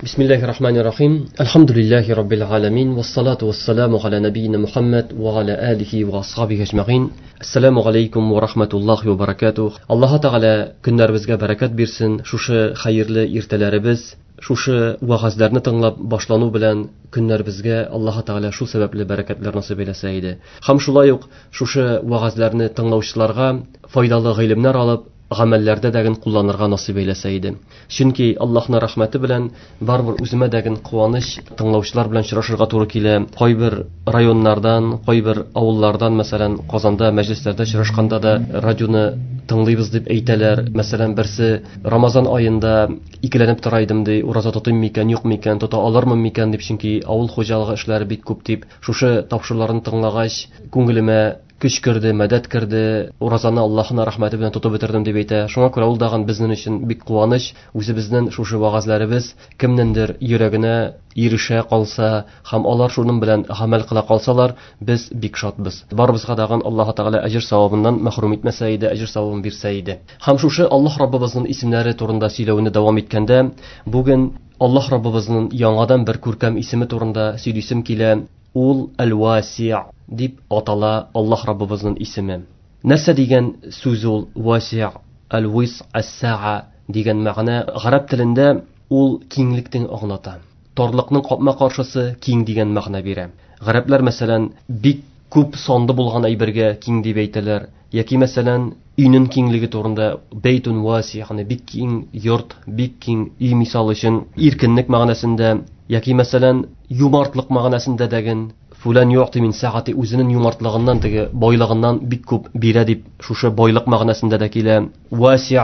Бисмиллахи рахмани рахим. Альхамдулиллахи раббил аламин. Вассалату вассаламу аля набийна Мухаммад ва аля алихи ва асхабихи ажмаин. Ассаламу алейкум ва рахматуллахи ва баракатух. Аллаһ Тәгалә көннәребезгә бәрәкәт бирсен. Шушы хәерле иртәләребез, шушы вәгазьләрне тыңлап башлану белән көннәребезгә Аллаһ Тәгалә шул сәбәпле бәрәкәтләр насыйп әйләсә иде. Һәм шулай ук шушы вәгазьләрне тыңлаучыларга файдалы гыйлемнәр алып, гамәлләрдә дәген кулланырга насыйп әйләсә иде. Чөнки Аллаһның рәхмәте белән барыбер үземә дәген куаныч тыңлаучылар белән очрашырга туры килә. Кайбер районнардан, кайбер авыллардан, мәсәлән, Казанда мәҗлесләрдә очрашканда да радионы тыңлыйбыз дип әйтәләр. Мәсәлән, берсе Рамазан аенда икеләнеп тора идем ди, ураза тотыйм микән, юк микән, тота алырмын микән дип, чөнки авыл хуҗалыгы эшләре бик күп дип. Шушы тапшыруларны тыңлагач, күңелемә көч керде, мәдәт керде, уразаны Аллаһның рәхмәте белән тотып бетердем дип әйтә. Шуңа күрә ул дагын безнең өчен бик куаныч, үзебезнең шушы вәгазьләребез кемнеңдер йөрәгенә ирешә калса һәм алар шуның белән гамәл кыла калсалар, без бик шатбыз. Барыбызга дагын Аллаһ Тәгалә әҗер савабыннан мәхрүм итмәсә иде, әҗер савабын бирсә иде. Һәм шушы Аллаһ Раббыбызның исемнәре турында сөйләүне дәвам иткәндә, бүген Аллаһ Раббыбызның яңадан бер күркәм исеме турында сөйлисем килә. Ул Әл-Васи' дип атала Аллаһ Раббыбызның исеме. Нәрсә дигән сүз ул Васи', Әл-Вис, Әс-Саа дигән мәгънә? Гарәп телендә ул киңлектең аңлата. Тарлыкның капма-каршысы киң дигән мәгънә бирә. Гарәпләр, мәсәлән, бик күп санлы булган әйбергә киң дип әйтәләр. Яки, мәсәлән, өйнең киңлеге турында бейтун васи, ягъни бик киң йорт, бик киң өй мисал өчен иркенлек мәгънәсендә, яки, мәсәлән, юмартлык мәгънәсендә дәген фулан юъти мин саати, үзенең юмартлыгыннан, теге байлыгыннан бик күп бирә дип, шушы байлык мәгънәсендә дә килә. Васи'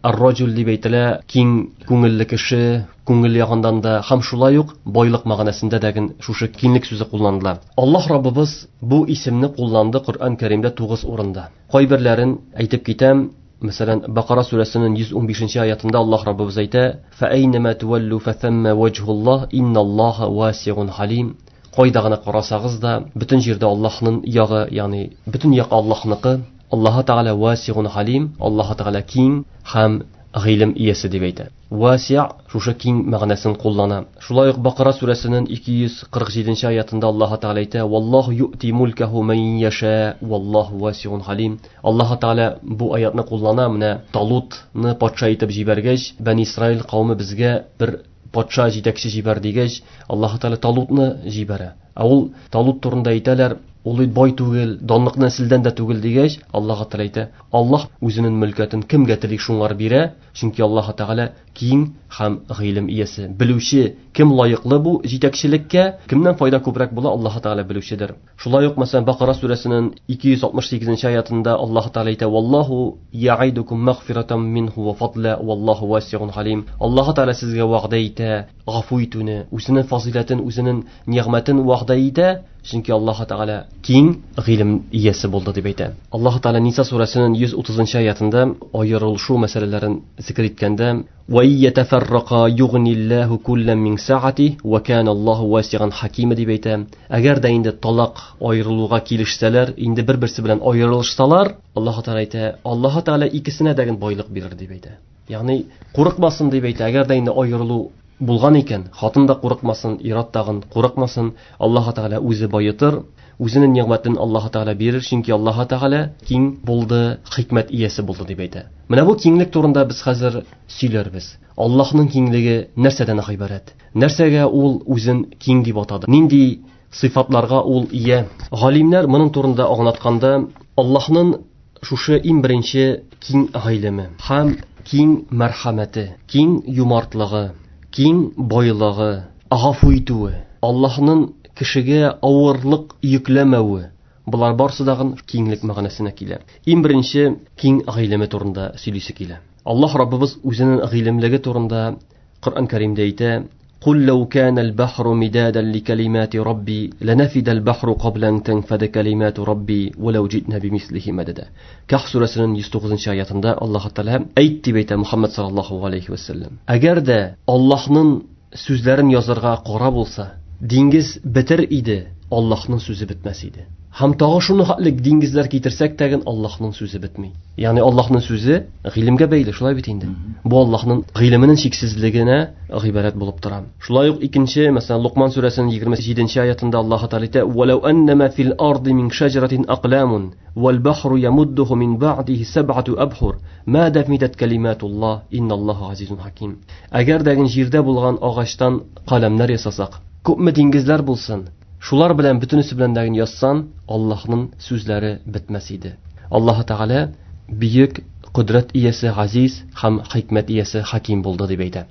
ар-раҗул дип әйтелә, киң күңелле кеше, күңел ягыннан да һәм шулай ук байлык мәгънәсендә дәген шушы киңлек сүзе кулланыла. Аллаһ Раббыбыз бу исемне кулланды Коръән Кәримдә 9 урында. Кайберләрен әйтеп китәм. Мәсәлән, Бакара сүрәсенең 115 аятында Аллаһ Раббыбыз әйтә: "Фа айнама туаллу фа самма ваҗһуллаһ инналлаһа васиун халим." Кайда гына карасагыз да, бөтен җирдә Аллаһның ягы, ягъни бөтен як Аллаһныкы. Аллаһ Тәгалә васиун халим, Аллаһ Тәгалә киң һәм гыйлем иясе дип әйтә. Васи' шушы киң мәгънәсен куллана. Шулай ук Бакара сүрәсенең 247 аятында Аллаһ Тәгалә әйтә: "Валлаһу юъти мулкаху ман яша, валлаһу васиун халим." Аллаһ Тәгалә бу аятны куллана. Менә Талутны патша итеп җибәргәч, Бәни Исраил кавеме безгә бер патша җитәкче җибәр дигәч, Аллаһ Тәгалә Талутны җибәрә. Ә ул Талут турында әйтәләр, ул бит бай түгел, данлык нәселдән дә түгел дигәч, Аллаһ Тәгалә әйтә, Аллаһ үзенең мөлкәтен кемгә тели шуңар бирә, чөнки Аллаһ Тәгалә киң һәм гыйлем иясе, белүче, кем лаеклы бу җитәкчелеккә, кемнән файда күбрәк була, Аллаһ Тәгалә белүчедер. Шулай ук, мәсәлән, Бакара сүрәсенең 268 аятында Аллаһ Тәгалә әйтә: "Валлаһу я'идукум магфиратан минху ва фадла, валлаһу васиун халим." Аллаһ Тәгалә сезгә вәгъдә итә, гафу итүне, үзенең фазиләтен, үзенең нигъмәтен вәгъдә итә, чөнки Аллаһ Тәгалә киң гыйлем иясе булды дип әйтә. Аллаһ Тәгалә Ниса сүрәсенең 130 аятында аерылышу мәсьәләләрен зикр иткәндә: "Ва иятафаррака югниллаһу куллан мин саати ва кана Аллаһу васиан хакима" дип әйтә. Әгәр дә инде талак аерылуга килешсәләр, инде бер-берсе белән аерылышсалар, Аллаһ Тәгалә әйтә, Аллаһ Тәгалә икесенә дә байлык бирер дип әйтә. Ягъни курыкмасын дип әйтә. Әгәр дә инде аерылу булган икән, хатын да курыкмасын, ир-ат тагын курыкмасын, Аллаһ Тәгалә үзе байытыр, үзенең нигъмәтен Аллаһ Тәгалә бирер, чөнки Аллаһ Тәгалә киң булды, хикмәт иясе булды дип әйтә. Менә бу киңлек турында без хәзер сөйләрбез. Аллаһның киңлеге нәрсәдән гыйбарәт? Нәрсәгә ул үзен киң дип атады? Нинди сыйфатларга ул ия? Галимнәр моның турында аңлатканда, Аллаһның шушы иң беренче киң гыйлеме һәм киң мәрхәмәте, киң юмартлыгы, киң байлыгы, гафу итүе, Аллаһның кешегә авырлык йөкләмәве, болар барысы да киңлек мәгънәсенә килә. Иң беренче киң гыйлеме турында сөйлисе килә. Аллаһ Раббыбыз үзенең гыйлемлеге турында Коръән Кәримдә әйтә: "Кул лау кана ал-бахру мидадан ликалимати рабби ланафида ал-бахру кабла ан танфада калимату рабби ва лау җитна бимислихи мадада." Каһф сүрәсенең 109 аятында Аллаһ Тәгалә әйт дип әйтә Мухаммад саллаллаһу алейхи ва саллям. Әгәр дә Аллаһның сүзләрен язарга кара булса, диңгез бетер иде, Аллаһның сүзе бетмәс иде. Һәм тагы шуны хәтле диңгезләр китерсәк тәген Аллаһның сүзе бетми. Ягъни Аллаһның сүзе гыйлемгә бәйле, шулай бит инде. Бу Аллаһның гыйлеменең чиксезлегенә гыйбарәт булып тора. Шулай ук икенче, мәсәлән, Лукман сүрәсенең 27 аятында Аллаһ Тәгалә әйтә: "Валау аннама фил арди мин шаҗаратин акламун, вал бахру ямуддуху мин ба'дихи саб'ату абхур, ма дафмитат калиматуллаһ, инналлаһа азизун хаким." Әгәр дә җирдә булган агачтан каләмнәр ясасак, күпме диңгезләр булсын, шулар белән бөтенесе белән дә язсан, Аллаһның сүзләре бетмәс иде. Аллаһ Тәгалә бөек кодрәт иясе, газиз һәм хикмәт иясе, хаким булды дип әйтә.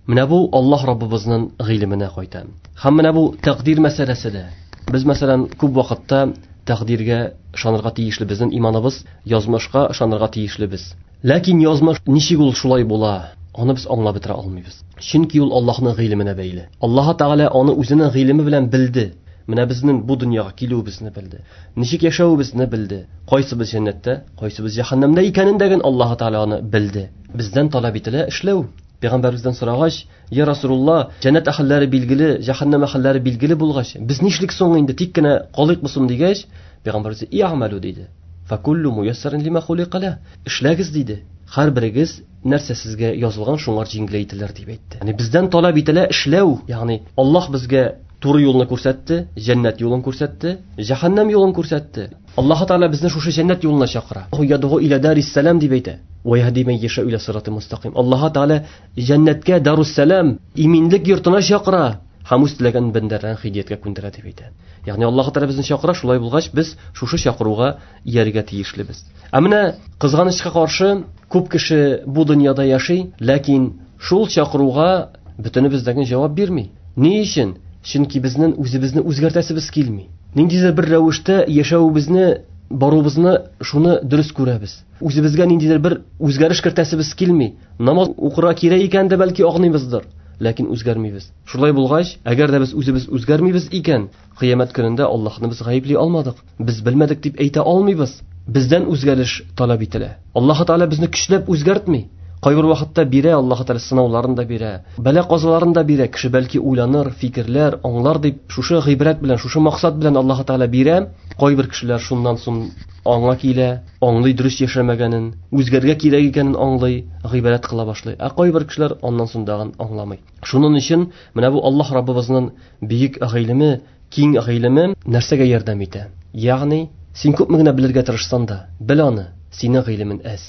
Менә бу Аллаһ Раббыбызның гыйлеменә кайта. Һәм менә бу тәкъдир мәсьәләсе дә. Без мәсәлән күп вакытта тәкъдиргә ышанырга тиешле, безнең иманыбыз язмышка ышанырга тиешлебез. Ләкин язмыш ничек ул шулай була, аны без аңлап бетерә алмыйбыз. Чөнки ул Аллаһның гыйлеменә бәйле. Аллаһ Тәгалә аны үзенең гыйлеме белән белде. Менә безнең бу дөньяга килүебезне белде. Ничек яшәвебезне белде. Кайсыбыз җәннәттә, кайсыбыз җәһәннәмдә икәнен дә Аллаһ Тәгалә аны белде. Бездән таләп ителә эшләү. Пәйгамбәребездән сорагач, "Я Расулулла, җәннәт әһелләре билгеле, җәһәннәм әһелләре билгеле булгач, без нишлик соң инде, тик кенә калыйкмы соң?" дигәч, Пәйгамбәребез "И'малу" диде. "Факуллу муяссарин лима хулика ла." Эшләгез диде. Һәрберегез нәрсә сезгә язылган, шуңар җиңеләйтелер дип әйтте. Ягъни бездән таләп ителә эшләү, ягъни Аллаһ безгә туры юлны күрсәтте, җәннәт юлын күрсәтте, җәһәннәм юлын күрсәтте. Аллаһ Тәгалә безне шушы җәннәт юлына чакыра. Ядгу иля дарис-салам дип әйтә. Ва яһди мен яша иля сирати мустаким. Аллаһ Тәгалә җәннәткә дарус-салам, иминлек йортына чакыра һәм үз теләгән бәндәләрен һидаяткә күндерә дип әйтә. Ягъни Аллаһ Тәгалә безне чакыра, шулай булгач без шушы чакыруга иярергә тиешлебез. Ә менә кызганычка каршы күп кеше бу дөньяда яши, ләкин шул чакыруга бөтенебез дә җавап бирми. Ни өчен? Чөнки безнең үзебезне үзгәртәсебез килми. Ниндидер бер рәвештә яшәвебезне, баруыбызны шуны дөрес күрәбез. Үзебезгә ниндидер бер үзгәреш кертәсебез килми. Намаз укырга кирәк икән дә бәлки аңлыйбыздыр, ләкин үзгәрмибез. Шулай булгач, әгәр дә без үзебез үзгәрмибез икән, кыямәт көнендә Аллаһны без гаепли алмадык. Без белмәдек дип әйтә алмыйбыз. Бездән үзгәреш таләп ителә. Аллаһ Тәгалә безне көчләп үзгәртми. Кайбер вакытта бирә, Аллаһ Тәгалә сынауларын да бирә, бәла-казаларын да бирә. Кеше бәлки уйланыр, фикерләр, аңлар дип, шушы гыйбрәт белән, шушы максат белән Аллаһ Тәгалә бирә. Кайбер кешеләр шуннан соң аңа килә, аңлый дөрес яшәмәгәнен, үзгәргә кирәк икәнен аңлый, гыйбрәт кыла башлый. Ә кайбер кешеләр аннан соң тагын аңламый. Шуның өчен менә бу Аллаһ Раббыбызның бөек гыйлеме, киң гыйлеме нәрсәгә ярдәм итә? Ягъни, син күпме генә белергә тырышсаң да, бел аны, синең гыйлемен әз.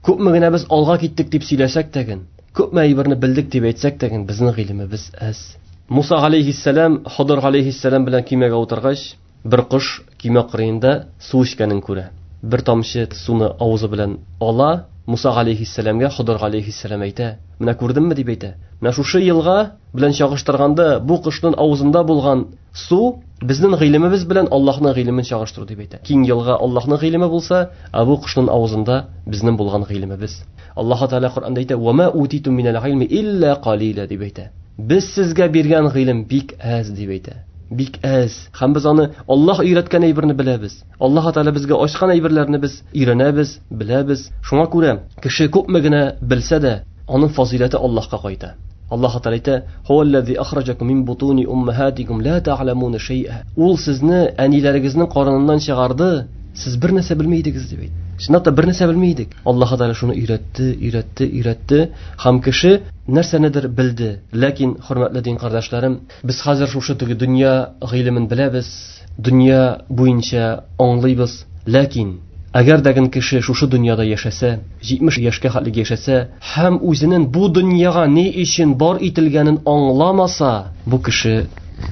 Күпме генә без алга киттек дип сөйләсәк тәген, күпме әйберне белдек дип әйтсәк тәген, безнең гыйлемебез әз. Муса алейхиссалам Хыдыр алейхиссалам белән көймәгә утыргач, бер кош көймә кырыенда су эчкәнен күрә. Бер тамчы суны авызы белән ала, Муса алейхиссаламга Хыдыр алейхиссалам әйтә: "Менә күрдеңме?" дип әйтә. Менә шушы елга белән чагыштырганда бу кошның авызында булган су безнең гыйлемебез белән Аллаһның гыйлемен чагыштыру дип әйтә. Киң елга Аллаһның гыйлеме булса, ә бу кошның авызында безнең булган гыйлемебез. Аллаһ Тәгалә Коръәндә әйтә: "Ва ма утитум минәл гыйлми илля қалила" дип әйтә. Без сезгә биргән гыйлем бик әз дип әйтә. Бик әз. Һәм без аны Аллаһ өйрәткән әйберне беләбез. Аллаһ Тәгалә безгә ачкан әйберләрне без өйрәнәбез, беләбез. Шуңа күрә кеше күпме генә белсә дә, аның фазиләте Аллаһка кайта. Аллаһ Тәгалә әйтә: "Һуаллази ахраҗакум мин бутуни уммахатикум ла та'ламуна шай'a." Ул сезне әниләрегезнең карыныннан чыгарды, сез бер нәрсә белми идегез дип әйтте. Чынлап та бер нәрсә белми идек. Аллаһ Тәгалә шуны өйрәтте, өйрәтте, өйрәтте һәм кеше нәрсәнедер белде. Ләкин, хөрмәтле дин кардәшләрем, без хәзер шушы теге дөнья гыйлемен беләбез, дөнья буенча аңлыйбыз. Ләкин әгәр дә кеше шушы дөньяда яшәсә, 70 яшькә хәтле яшәсә һәм үзенең бу дөньяга ни өчен бар ителгәнен аңламаса, бу кеше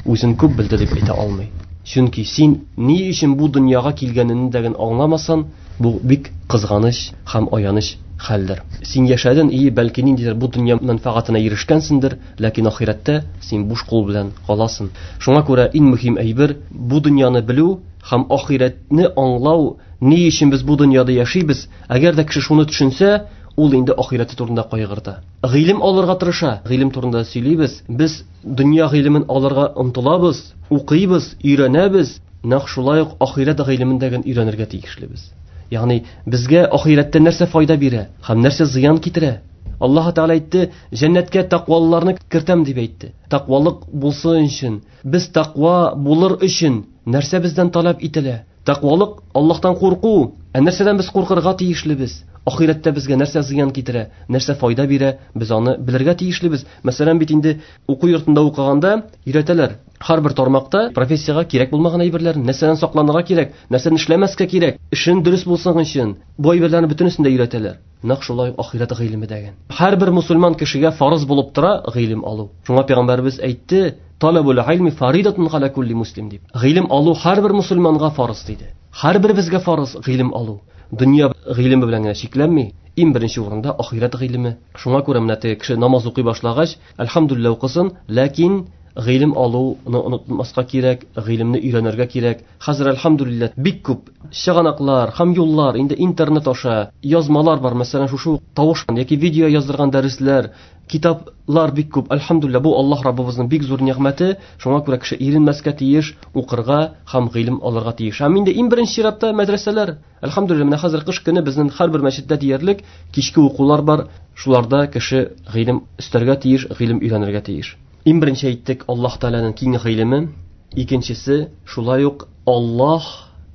үзен күп белде дип әйтә алмый. Чөнки син ни өчен бу дөньяга килгәнеңне дә аңламасаң, бу бик кызганыч һәм аяныч хәлдер. Син яшәдең, и бәлки ниндидер бу дөнья мәнфәгатенә ирешкәнсеңдер, ләкин ахирәттә син буш кул белән каласың. Шуңа күрә иң мөһим әйбер бу дөньяны белү һәм ахирәтне аңлау, ни өчен без бу дөньяда яшибез. Әгәр дә кеше шуны төшенсә, ул инде ахирәте турында кайгырта. Гыйлем алырга тырыша. Гыйлем турында сөйлибез. Без дөнья гыйлемен алырга омтылабыз, укыйбыз, өйрәнәбез. Нәкъ шулай ук ахирәт гыйлемен дә өйрәнергә тиешлебез. Ягъни безгә ахирәттә нәрсә файда бирә һәм нәрсә зыян китерә? Аллаһ Тәгалә әйтте, җәннәткә тәкъвалыларны кертәм дип әйтте. Тәкъвалык булсын өчен, без тәкъва булыр өчен нәрсә бездән таләп ителә? Тәкъвалык Аллаһтан курку. Ә нәрсәдән без куркырга тиешлебез? Ахирәттә безгә нәрсә зыян китерә, нәрсә файда бирә, без аны белергә тиешлебез. Мәсәлән, бит инде уку йортында укыганда өйрәтәләр. Һәрбер тармакта профессиягә кирәк булмаган әйберләр, нәрсәдән сакланырга кирәк, нәрсәне эшләмәскә кирәк, эшен дөрес булсын өчен. Бу әйберләрне бөтенесен дә өйрәтәләр. Нәкъ шулай ахирәт гыйлеме дәген. Һәрбер мусульман кешегә фарыз булып тора гыйлем алу. Шуңа пәйгамбәребез әйтте: "Талабул гыйлми фаридатун аля кулли муслим" дип. Гыйлем алу һәрбер мусульманга фарыз диде. Һәрберебезгә фарыз гыйлем алу. Дөнья гыйлеме белән генә чикләнми, иң беренче урында ахирәт гыйлеме. Шуңа күрә менә теге кеше намаз укый башлагач, әлхәмдүлилләһ укысын, ләкин гыйлем алуны онытмаска кирәк, гыйлемне өйрәнергә кирәк. Хәзер әлхәмдүлилләһ бик күп чыганаклар һәм юллар, инде интернет аша язмалар бар, мәсәлән, шушы тавыш яки видео яздырган дәресләр, китаплар бик күп. Әлхәмдүлилләһ, бу Аллаһ Раббыбызның бик зур нигъмәте. Шуңа күрә кеше иренмәскә тиеш, укырга һәм гыйлем алырга тиеш. Һәм инде иң беренче чиратта мәдрәсәләр. Әлхәмдүлилләһ, менә хәзер кыш көне безнең һәрбер мәчеттә диярлек кичке укулар бар. Шуларда кеше гыйлем өстәргә тиеш, гыйлем өйрәнергә тиеш. Иң беренче әйттек, Аллаһ Тәгаләнең киң гыйлеме. Икенчесе, шулай ук Аллаһ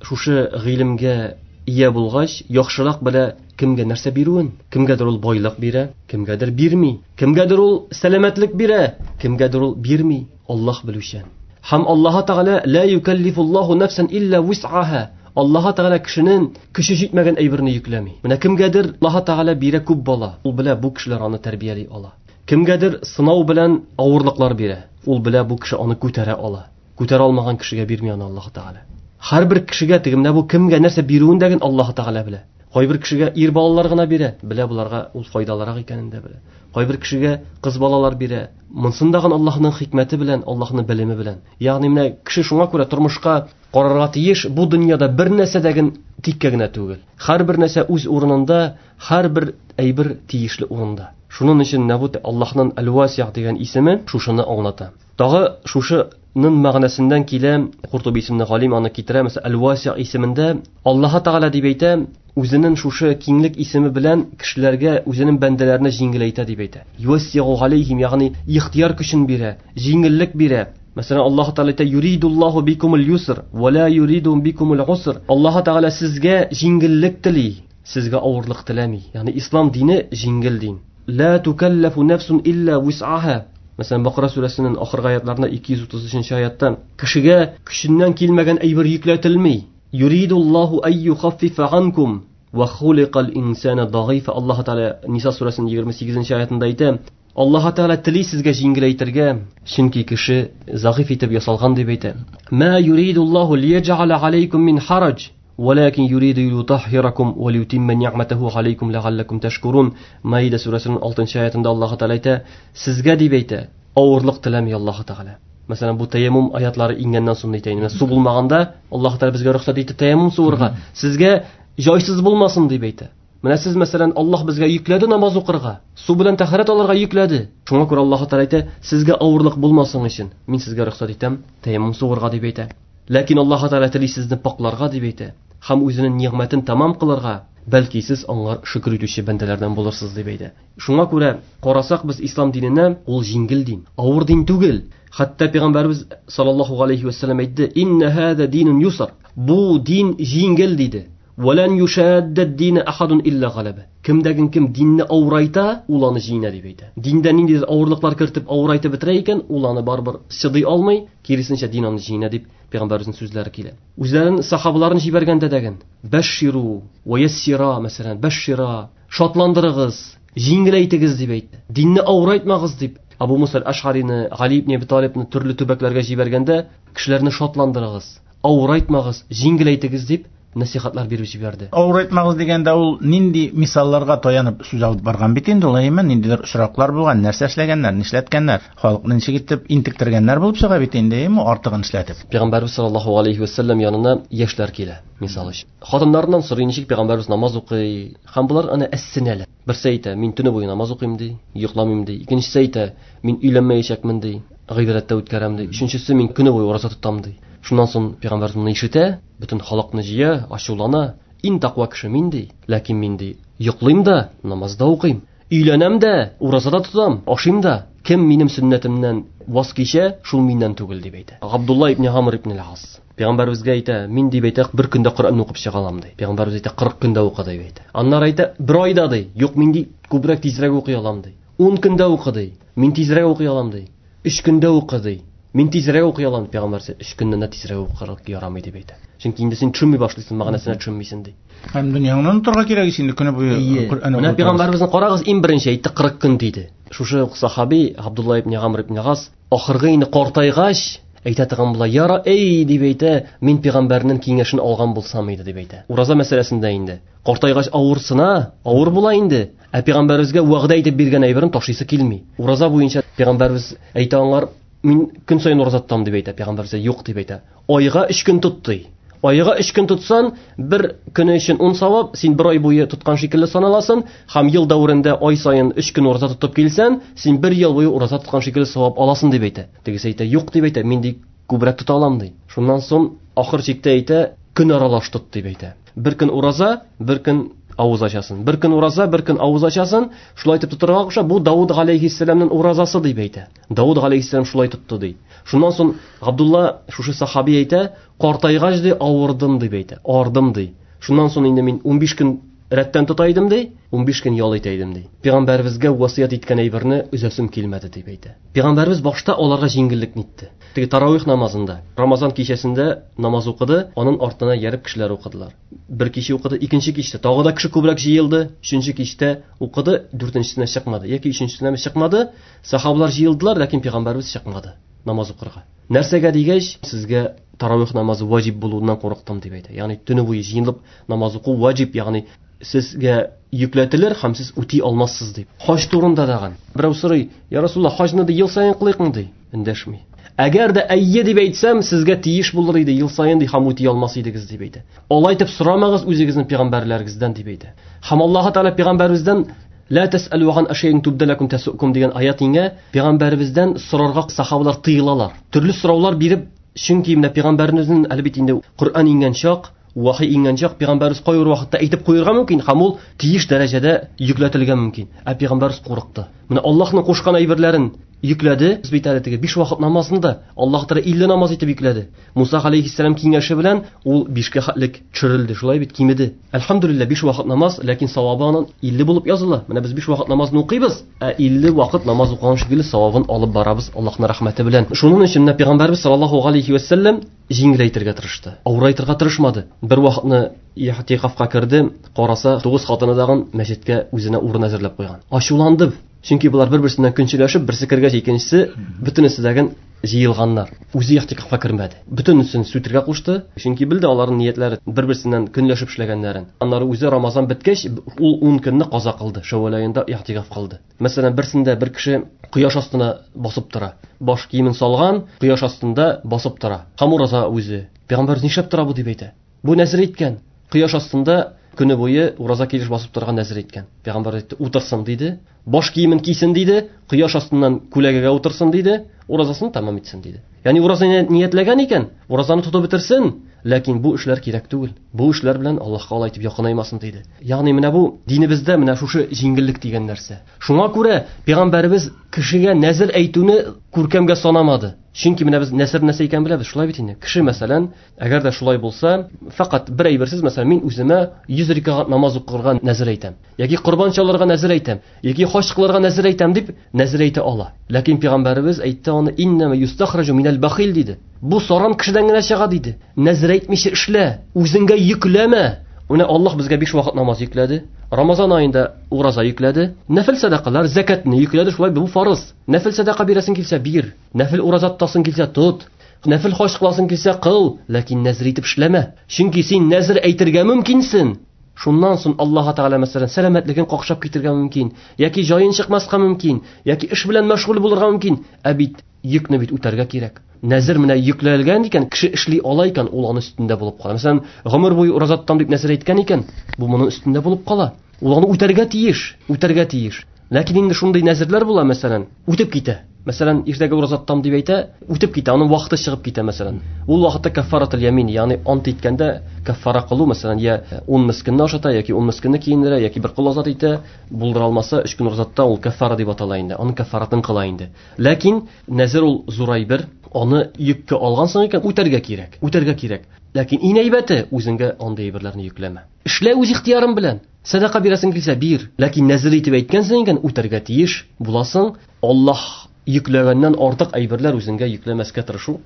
шушы гыйлемгә ия булгач, яхшырак белә кемгә нәрсә бирүен. Кемгәдер ул байлык бирә, кемгәдер бирми. Кемгәдер ул сәламәтлек бирә, кемгәдер ул бирми. Аллаһ белүчән. Һәм Аллаһ Тәгалә ла юкаллифуллаһу нафсан илля вус'аха. Аллаһ Тәгалә кешенең көче җитмәгән әйберне йөкләми. Менә кемгәдер Аллаһ Тәгалә бирә күп бала. Ул белә, бу кешеләр аны тәрбияли ала. Кемгәдер сынау белән авырлыклар бирә. Ул белә, бу кеше аны күтәрә ала. Күтәрә алмаган кешегә бирми аны Аллаһ Тәгалә. Һәрбер кешегә теге менә бу кемгә нәрсә бирүен дә Аллаһ Тәгалә белә. Кайбер кешегә ир балалар гына бирә, белә буларга ул файдалырак икәнен дә белә. Кайбер кешегә кыз балалар бирә. Монсын да Аллаһның хикмәте белән, Аллаһның белеме белән. Ягъни менә кеше шуңа күрә тормышка карарга тиеш, бу дөньяда бер нәрсә дә тиккә генә түгел. Һәрбер нәрсә үз урынында, һәрбер әйбер тиешле урында. Шуның өчен менә бу Аллаһның Әл-Васиъ дигән исеме шушыны аңлата. Тагы шушының мәгънәсеннән килә, Куртуби исемле галим аны китерә, мәсәлән, Әл-Васиъ исемендә Аллаһ Тәгалә дип әйтә, үзенең шушы киңлек исеме белән кешеләргә, үзенең бәндәләренә җиңеләйтә дип әйтә. Юассиу алейхим, ягъни ихтияр көчен бирә, җиңеллек бирә. Мәсәлән, Аллаһ Тәгалә әйтә, юридуллаһу бикумул юср ва ла юриду бикумул уср. Аллаһ Тәгалә сезгә җиңеллек тели, сезгә авырлык теләми. Ягъни ислам дине җиңел дин. Ла тукаллафу нафсун илля вус'аха. Мәсәлән, Бакара сүрәсенең ахыргы аятларында 233 аятта кешегә көченнән килмәгән әйбер йөкләтелми. Юридуллаһу ай юхаффифа анкум ва хуликал инсана дагыйфа. Аллаһ Тәгалә Ниса сүрәсенең 28 аятында әйтә, Аллаһ Тәгалә тели сезгә җиңеләйтергә, чөнки кеше зәгыйф итеп ясалган дип әйтә. Ма юридуллаһу лияҗ'аля алейкум мин хараҗ, валакин юриду лиютаххиракум ва лиютимма ни'матаху алейкум ләгалләкум тәшкурун. Маида сүрәсенең 6 аятында Аллаһ Тәгалә әйтә, сезгә дип әйтә, авырлык теләми Аллаһ Тәгалә. Мәсәлән, бу тәяммум аятлары иңгәннән соң әйтә инде. Су булмаганда Аллаһ Тәгалә безгә рөхсәт итте тәяммум суырга. Сезгә җайсыз булмасын дип әйтә. Менә сез, мәсәлән, Аллаһ безгә йөкләде намаз укырга, су белән тәһарәт алырга йөкләде. Шуңа күрә Аллаһ Тәгалә әйтә, сезгә авырлык булмасын өчен мин сезгә рөхсәт итәм тәяммум суырга дип әйтә. Ләкин Аллаһ Тәгалә тели сезне пакларга дип әйтә һәм үзенең нигъмәтен тәмам кылырга, бәлки сез аңар шөкер итүче бәндәләрдән булырсыз дип әйтә. Шуңа күрә карасак без ислам диненә, ул җиңел дин, авыр дин түгел. Хәтта пәйгамбәрбез саллаллаһу алейхи вәссәлам әйтте, инна һаза динун юср. Бу дин җиңел диде. Валан юшадда дина ахадун илля галаба. Кемдәген кем динне авырайта, ул аны җиңә дип әйтә. Диндә ниндидер авырлыклар кертеп авырайтып бетерә икән, ул аны барыбер чыдый алмый, киресенчә дин аны җиңә дип пәйгамбәребезнең сүзләре килә. Үзләрен сахабаларын җибәргәндә дәген, бәшширу ва яссира, мәсәлән, бәшшира, шатландырыгыз, җиңеләйтегез дип әйтте. Динне авырайтмагыз дип Абу Муса аль-Аш'арины, Гали ибн Әби Талибны төрле төбәкләргә җибәргәндә, кешеләрне шатландырыгыз, авырайтмагыз, җиңеләйтегез дип насихатлар биреп җибәрде. Авырайтмагыз дигәндә ул нинди мисалларга таянып сүз алып барган бит инде ул, әйеме? Ниндидер очраклар булган, нәрсә эшләгәннәр, нишләткәннәр, халыкны ничек итеп интектергәннәр булып чыга бит инде, әйеме? Артыгын эшләтеп. Пәйгамбәрбез саллаллаһу алейхи ва саллям янына яшьләр килә, мисал өчен. Хатыннарыннан сорый, ничек пәйгамбәрбез намаз укый, һәм болар аны әссенәләр. Берсе әйтә, мин төне буе намаз укыйм ди, йокламыйм ди. Икенчесе әйтә, мин өйләнмәячәкмен ди, гыйбадәттә үткәрәм ди. Өченчесе, мин көне буе ураза тотам ди. Шуннан соң пәйгамбәрбез моны ишетә, бөтен халыкны җыя, ачулана. Иң тәкъва кеше мин ди, ләкин мин ди, йоклыйм да, намаз да укыйм. Өйләнәм дә, ураза да тотам, ашыйм да. Кем минем сөннәтемнән ваз кичә, шул миннән түгел дип әйтә. Габдулла ибн Амр ибн ал-Ас. Пәйгамбәребезгә әйтә, мин дип әйтә, бер көндә Коръәнне укып чыга алам ди. Пәйгамбәребез әйтә, 40 көндә укы дип әйтә. Аннары әйтә, бер айда ди. Юк, мин ди, күбрәк тизрәк укый алам ди. 10 көндә укы ди. Мин тизрәк укый алам ди. 3 көндә укы ди. Мин тизрәк укый алам, пәйгамбәр 3 көннән дә тизрәк укырга ярамый дип әйтә. Чөнки инде син төшенми башлыйсың, мәгънәсенә төшенмисең ди. Һәм дөньяңны онытырга кирәк ич инде көне буе Коръән Менә пәйгамбәребезне карагыз, иң беренче әйтте 40 көн диде. Шушы ук сахаби Абдулла ибн Амр ибн Гас ахыргы инде картайгач әйтә торган була, яра эй дип әйтә, мин пәйгамбәрнең киңәшен алган булсам иде дип әйтә. Ураза мәсьәләсендә инде. Картайгач авырсына, авыр була инде. Ә пәйгамбәребезгә вәгъдә итеп биргән әйберен ташлыйсы килми. Ураза буенча пәйгамбәребез әйтә аңар, мин көн саен ураза тотам дип әйтә, пәйгамбәребез юк дип әйтә. Айга 3 көн тот ди. Айга 3 көн тотсан, бер көне өчен 10 савап, син бер ай буе тоткан шикелле саналасың, һәм ел дәверендә ай саен 3 көн ураза тотып килсән, син бер ел буе ураза тоткан шикелле савап аласың дип әйтә. Тегесе әйтә, юк дип әйтә, мин ди күбрәк тота алам ди. Шуннан соң ахыр чиктә әйтә, көн аралаш тот дип әйтә. Бер көн ураза, бер көн авыз ачасын. Бер көн ураза, бер көн авыз ачасын. Шулай итеп тотырга куша. Бу Давуд галәйһиссәламның уразасы дип әйтә. Давуд галәйһиссәлам шулай тотты ди. Шуннан соң Габдулла шушы сахаби әйтә, картайгач ди авырдым дип әйтә. Ардым ди. Шуннан соң инде мин 15 көн рәттән тота идем ди, 15 көн ял итә идем ди. Пәйгамбәребезгә васыять иткән әйберне өзәсем килмәде дип әйтә. Пәйгамбәребез башта аларга җиңеллек итте. Теге таравих намазында, Рамазан кичәсендә намаз укыды, аның артына ярып кешеләр укыдылар. Бер кичә укыды, икенче кичтә тагы да кеше күбрәк җыелды, өченче кичтә укыды, дүртенчесенә чыкмады яки өченчесенә чыкмады. Сахабалар җыелдылар, ләкин пәйгамбәребез чыкмады намаз укырга. Нәрсәгә дигәч, сезгә таравих намазы ваҗиб булуыннан курыктым дип әйтә. Ягъни төне буе җыелып намаз уку ваҗиб, ягъни сезгә йөкләтелер һәм сез үти алмассыз дип. Хаҗ турында даган. Берәү сорый, я Расулла, хаҗны ди ел саен кылыйкмы ди? Эндәшми. Әгәр дә әйе дип әйтсәм, сезгә тиеш булыр иде ел саен ди һәм үти алмас идегез дип әйтә. Алай итеп сорамагыз үзегезнең пәйгамбәрләрегездән дип әйтә. Һәм Аллаһ Тәгалә пәйгамбәребездән ла тәсәлү ган ашәйин тубда лакум тәсукум дигән аят иңә, пәйгамбәребездән сорарга сахабалар тыелалар. Төрле сораулар биреп, чөнки менә пәйгамбәребезнең әле бит инде Коръән иңгән чак, вахи иңгән чак, пәйгамбәребез кайбер вакытта әйтеп куярга мөмкин, һәм ул тиеш дәрәҗәдә йөкләтелгән мөмкин. Ә пәйгамбәребез курыкты. Менә Аллаһның кушкан әйберләрен йөкләде. Без бит әле теге 5 вакыт намазны да Аллаһ Тәгалә 50 намаз итеп йөкләде. Муса алейхиссалам киңәше белән ул 5-кә хәтлек төшерелде. Шулай бит кимеде. Әлхәмдүлилләһ 5 вакыт намаз, ләкин савабы аның 50 булып языла. Менә без 5 вакыт намазны укыйбыз, ә 50 вакыт намаз укыган шикелле савабын алып барабыз Аллаһның рәхмәте белән. Шуның өчен менә пәйгамбәрбез саллаллаһу алейхи ва саллям җиңеләйтергә тырышты. Авырайтырга тырышмады. Бер вакытны ихтикафка керде, караса, 9 хатыны дагын мәчеткә үзенә урын әзерләп куйган. Ачуланды. Чөнки булар бер-берсеннән көнчеләшеп, берсе кергәч, икенчесе бөтенесе дәген җыелганнар. Үзе ихтикафка кермәде. Бөтенесен сүтергә кушты, чөнки белде аларның ниятләре бер-берсеннән көнләшеп эшләгәннәрен. Аннары үзе Рамазан беткәч, ул 10 көнне каза кылды, Шәүвәл аенда ихтикаф кылды. Мәсәлән, берсендә бер кеше кояш астына басып тора. Баш киемен салган, кояш астында басып тора. Һәм ураза үзе. Пәйгамбәр нишләп тора бу дип әйтә. Бу нәзер иткән. Кояш астында көне буе ураза килеш басып торган нәзер иткән. Пәйгамбәр әйтте, утырсын диде. Баш киемен кисен диде, кояш астыннан күләгәгә утырсын диде, уразасын тәмам итсен диде. Ягъни уразаны ниятләгән икән, уразаны тотып бетерсен, ләкин бу эшләр кирәк түгел. Бу эшләр белән Аллаһка алай итеп якынаймасын диде. Ягъни менә бу динебездә менә шушы җиңеллек дигән нәрсә. Шуңа күрә пәйгамбәребез кешегә нәзер әйтүне күркәмгә санамады. Чөнки менә без нәзер нәрсә икәнен беләбез, шулай бит инде. Кеше, мәсәлән, әгәр дә шулай булса, фақат бер әйберсез, мәсәлән, мин үземә 100 рәкәгать намаз укырга нәзер әйтәм, яки корбан чалырга нәзер әйтәм, яки хаҗ кылырга нәзер әйтәм дип нәзер әйтә ала. Ләкин пәйгамбәребез әйтте аны иннама юстахраҗу минәл бахил диде. Бу саран кешедән генә чыга диде. Нәзер әйтмичә эшлә, үзеңгә йөкләмә. Менә Аллаһ безгә 5 вакыт намаз йөкләде. Рамазан аенда ураза йөкләде. Нәфил сәдакалар, закатны йөкләде, шулай бу фарыз. Нәфил сәдака бирәсең килсә бир, нәфил ураза тотасың килсә тот, нәфил хаҗ кыласың килсә кыл, ләкин нәзер итеп эшләмә. Чөнки син нәзер әйтергә мөмкинсең. Шуннан соң Аллаһ Тәгалә мәсәлән сәламәтлеген какшап китергә мөмкин, яки җаен чыкмаска мөмкин, яки эш белән мәшгуль булырга мөмкин. Ә бит йөкне бит үтәргә кирәк. Нәзер менә йөкләлгән икән, кеше эшли ала икән, ул аның өстендә булып кала. Мәсәлән, гомер буе ураза тотам дип нәзер әйткән икән, бу моның өстендә булып кала. Ул аны үтәргә тиеш, үтәргә тиеш. Ләкин инде шундый нәзерләр була, мәсәлән, үтеп китә. Мәсәлән, иртәгә ураза тотам дип әйтә, үтеп китә, аның вакыты чыгып китә, мәсәлән. Ул вакытта каффаратул ямин, ягъни ант иткәндә каффара кылу, мәсәлән, я 10 мискинне ашата, яки 10 мискинне киендерә, яки бер кол азат итә, булдыра алмаса, 3 көн ураза тота, ул каффара дип атала инде. Аның каффаратын кыла инде. Ләкин нәзер ул зур әйбер, аны йөккә алгансың икән, үтәргә кирәк. Үтәргә кирәк. Ләкин иң әйбәте, үзеңгә андый әйберләрне йөкләмә. Эшлә үз ихтыярың белән. Сәдака бирәсең килсә, бир. Ләкин нәзер итеп әйткәнсең икән, үтәргә тиеш буласың. Аллаһ йөкләгәннән артык әйберләр үзеңгә йөкләмәскә тырышу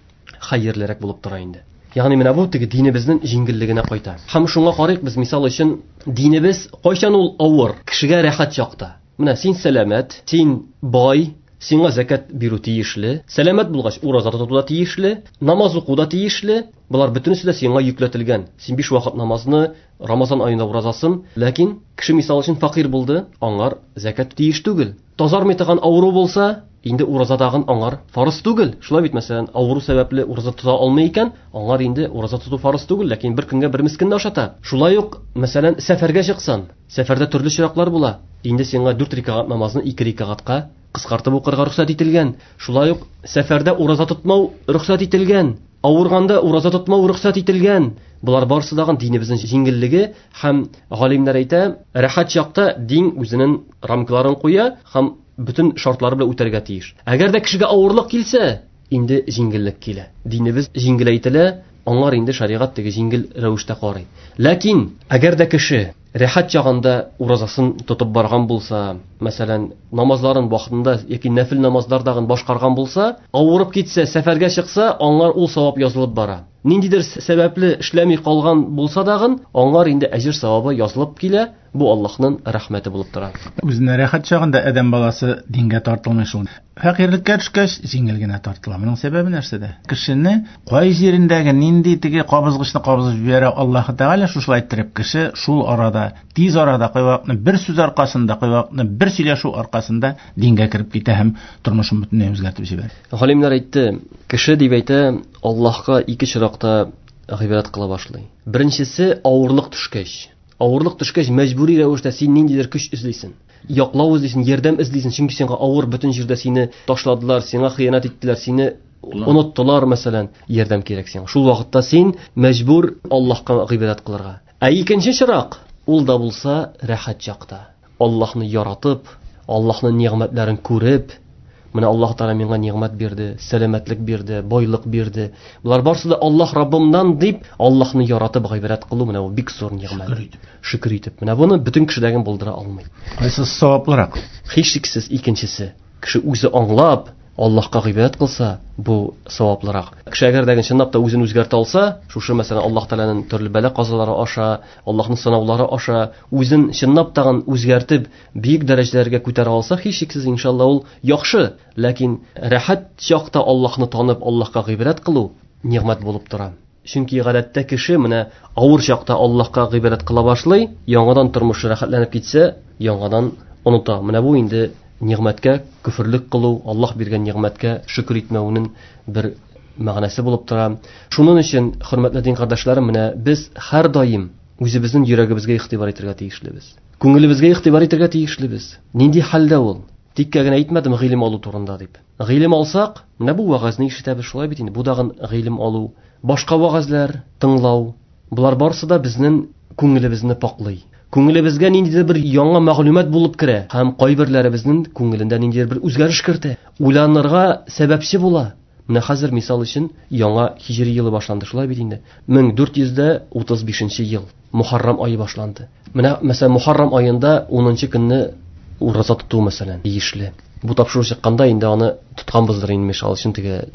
хәерлерәк булып тора инде. Ягъни менә бу теге динебезнең җиңеллегенә кайта. Һәм шуңа карыйк без, мисал өчен, динебез кайчан ул авыр, кешегә рәхәт чакта. Менә син сәламәт, син бай, сиңа зәкят бирү тиешле, сәламәт булгач ураза тоту да тиешле, намаз уку да тиешле. Болар бөтенесе дә сиңа йөкләтелгән. Син 5 вакыт намазны, Рамазан аенда уразасын, ләкин кеше мисал өчен факир булды, аңар зәкят тиеш түгел. Тазармый торган авыру булса, инде ураза тагын аңар фарыз түгел. Шулай бит, мәсәлән, авыру сәбәпле ураза тота алмый икән, аңар инде ураза тоту фарыз түгел, ләкин бер көнгә бер мискинне ашата. Шулай ук, мәсәлән, сәфәргә чыксан, сәфәрдә төрле чираклар була. Инде сиңа 4 рәкәгать намазны 2 рәкәгатькә кыскартып укырга рөхсәт ителгән. Шулай ук сәфәрдә ураза тотмау рөхсәт ителгән. Авырганда ураза тотмау рөхсәт ителгән. Болар барысы да динебезнең җиңеллеге һәм галимнәр әйтә, рәхәт чакта дин үзенең рамкаларын куя һәм бөтен шартлары белән үтәргә тиеш. Әгәр дә кешегә авырлык килсә, инде җиңеллек килә. Динебез җиңеләйтелә, аңар инде шәригать теге җиңел рәвештә карый. Ләкин әгәр дә кеше рәхәт чагында уразасын тотып барган булса, мәсәлән, намазларын вакытында яки нәфил намазлардагын башкарган булса, авырып китсә, сәфәргә чыкса, аңар ул савап язылып бара. Ниндидер сәбәпле эшләми калган булса дагын, аңар инде әҗер савабы язылып килә. Бу Аллаһның рәхмәте булып тора. Үзенә рәхәт чагында адәм баласы дингә тартылмый шул. Фәкыйрьлеккә төшкәч, җиңел генә тартыла. Моның сәбәбе нәрсәдә? Кешене кай җирендәге нинди теге кабызгычны кабызып җибәрә Аллаһ Тәгалә, шушылай иттереп кеше шул арада, тиз арада, кайвакытны бер сүз аркасында, кайвакытны бер сөйләшү аркасында дингә кереп китә һәм тормышын бөтенләй үзгәртеп җибәрә. Галимнәр әйтте, кеше дип әйтә, Аллаһка ике чиракта гыйбадәт кыла башлый. Беренчесе авырлык төшкәч. Авырлык төшкәч, мәҗбүри рәвештә син ниндидер көч эзлисең. Яклау эзлисең, ярдәм эзлисең, чөнки сиңа авыр, бөтен җирдә сине ташладылар, сиңа хыянәт иттеләр, сине оныттылар, мәсәлән, ярдәм кирәк сиңа. Шул вакытта син мәҗбүр Аллаһка гыйбадәт кылырга. Ә икенче чирак, ул да булса рәхәт чакта. Аллаһны яратып, Аллаһның нигъмәтләрен күреп, менә Аллаһ Тәгалә миңа нигъмәт бирде, сәламәтлек бирде, байлык бирде. Болар барысы да Аллаһ Раббымнан дип, Аллаһны яратып гыйбадәт кылу, менә бу бик зур нигъмәт. Шөкер итеп. Шөкер итеп. Менә буны бөтен кешедәген булдыра алмый. Кайсы саваплырак? Һичшиксез икенчесе. Кеше үзе аңлап, Аллаһка гыйбадәт кылса, бу саваплырак. Кеше әгәр дә чынлап та үзен үзгәртә алса, шушы мәсәлән Аллаһ Тәгаләнең төрле бәла-казалары аша, Аллаһның сынаулары аша үзен чынлап тагын үзгәртеп, бөек дәрәҗәләргә күтәрә алса, һичшиксез иншалла ул яхшы. Ләкин рәхәт чакта Аллаһны танып, Аллаһка гыйбадәт кылу нигъмәт булып тора. Чөнки гадәттә кеше менә авыр чакта Аллаһка гыйбадәт кыла башлый, яңадан тормышы рәхәтләнеп китсә, яңадан оныта. Менә бу инде нигъмәткә күферлек кылу, Аллаһ биргән нигъмәткә шөкер итмәүнең бер мәгънәсе булып тора. Шуның өчен, хөрмәтле дин кардәшләрем, менә без һәр даим үзебезнең йөрәгебезгә игътибар итәргә тиешлебез. Күңелебезгә игътибар итәргә тиешлебез. Нинди хәлдә ул? Тиккә генә әйтмәдем гыйлем алу турында дип. Гыйлем алсак, менә бу вәгазьне ишетәбез, шулай бит инде. Бу дагын гыйлем алу, башка вәгазьләр тыңлау, болар барысы да безнең күңелебезне паклый. Күңелебезгә ниндидер бер яңа мәгълүмат булып керә һәм кайберләребезнең күңелендә ниндидер бер үзгәреш кертә. Уйланырга сәбәпче була. Менә хәзер мисал өчен яңа һиҗри елы башланды, шулай бит инде. 1435 ел Мухаррам ае башланды. Менә мәсәлән Мухаррам аенда 10 көнне ураза тоту мәсәлән тиешле. Бу тапшыру чыкканда инде аны тотканбыздыр инде, мисал өчен теге